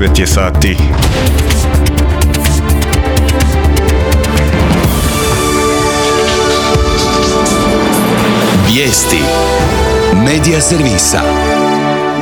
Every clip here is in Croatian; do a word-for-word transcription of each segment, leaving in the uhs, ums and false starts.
devet je sati. Vijesti Medija servisa.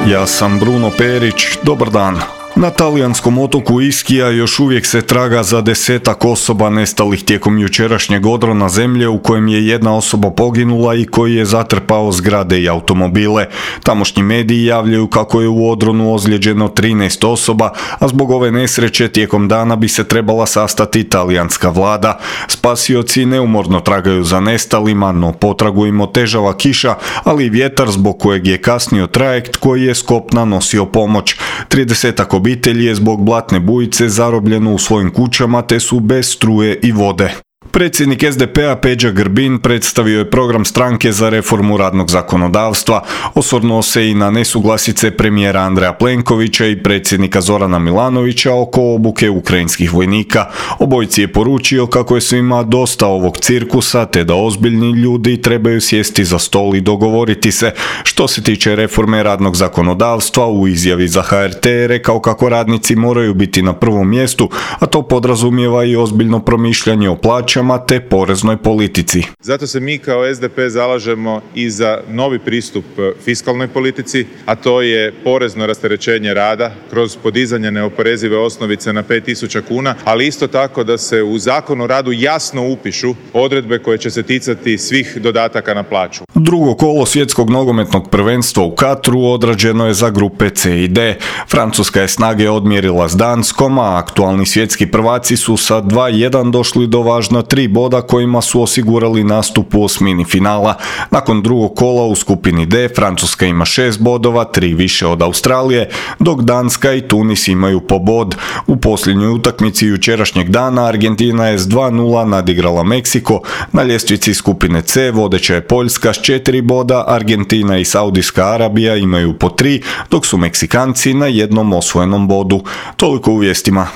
Ja sam Bruno Perić, dobar dan. Na talijanskom otoku Ischia još uvijek se traga za desetak osoba nestalih tijekom jučerašnjeg odrona zemlje u kojem je jedna osoba poginula i koji je zatrpao zgrade i automobile. Tamošnji mediji javljaju kako je u odronu ozlijeđeno trinaest osoba, a zbog ove nesreće tijekom dana bi se trebala sastati talijanska vlada. Spasioci neumorno tragaju za nestalima, no potragu im otežava kiša, ali i vjetar zbog kojeg je kasnio trajekt koji je s kopna nosio pomoć. tridesetak obitelji je zbog blatne bujice zarobljeno u svojim kućama te su bez struje i vode. Predsjednik es de pe a Peđa Grbin predstavio je program stranke za reformu radnog zakonodavstva, osvrnuo se i na nesuglasice premijera Andreja Plenkovića i predsjednika Zorana Milanovića oko obuke ukrajinskih vojnika. Obojici je poručio kako je svima dosta ovog cirkusa te da ozbiljni ljudi trebaju sjesti za stol i dogovoriti se. Što se tiče reforme radnog zakonodavstva, u izjavi za ha er te je rekao kako radnici moraju biti na prvom mjestu, a to podrazumijeva i ozbiljno promišljanje o plaćama te poreznoj politici. Zato se mi kao es de pe zalažemo i za novi pristup fiskalnoj politici, a to je porezno rasterećenje rada kroz podizanje neoporezive osnovice na pet tisuća kuna, ali isto tako da se u Zakon o radu jasno upišu odredbe koje će se ticati svih dodataka na plaću. Drugo kolo svjetskog nogometnog prvenstva u Katru odrađeno je za grupe ce i de. Francuska je snage odmjerila s Danskom, a aktualni svjetski prvaci su sa dva jedan došli do važna tri boda kojima su osigurali nastup u osmini finala. Nakon drugog kola u skupini D, Francuska ima šest bodova, tri više od Australije, dok Danska i Tunis imaju po bod. U posljednjoj utakmici jučerašnjeg dana Argentina je s dva nula nadigrala Meksiko. Na ljestvici skupine C vodeća je Poljska s četiri boda, Argentina i Saudijska Arabija imaju po tri, dok su Meksikanci na jednom osvojenom bodu. Toliko u vijestima.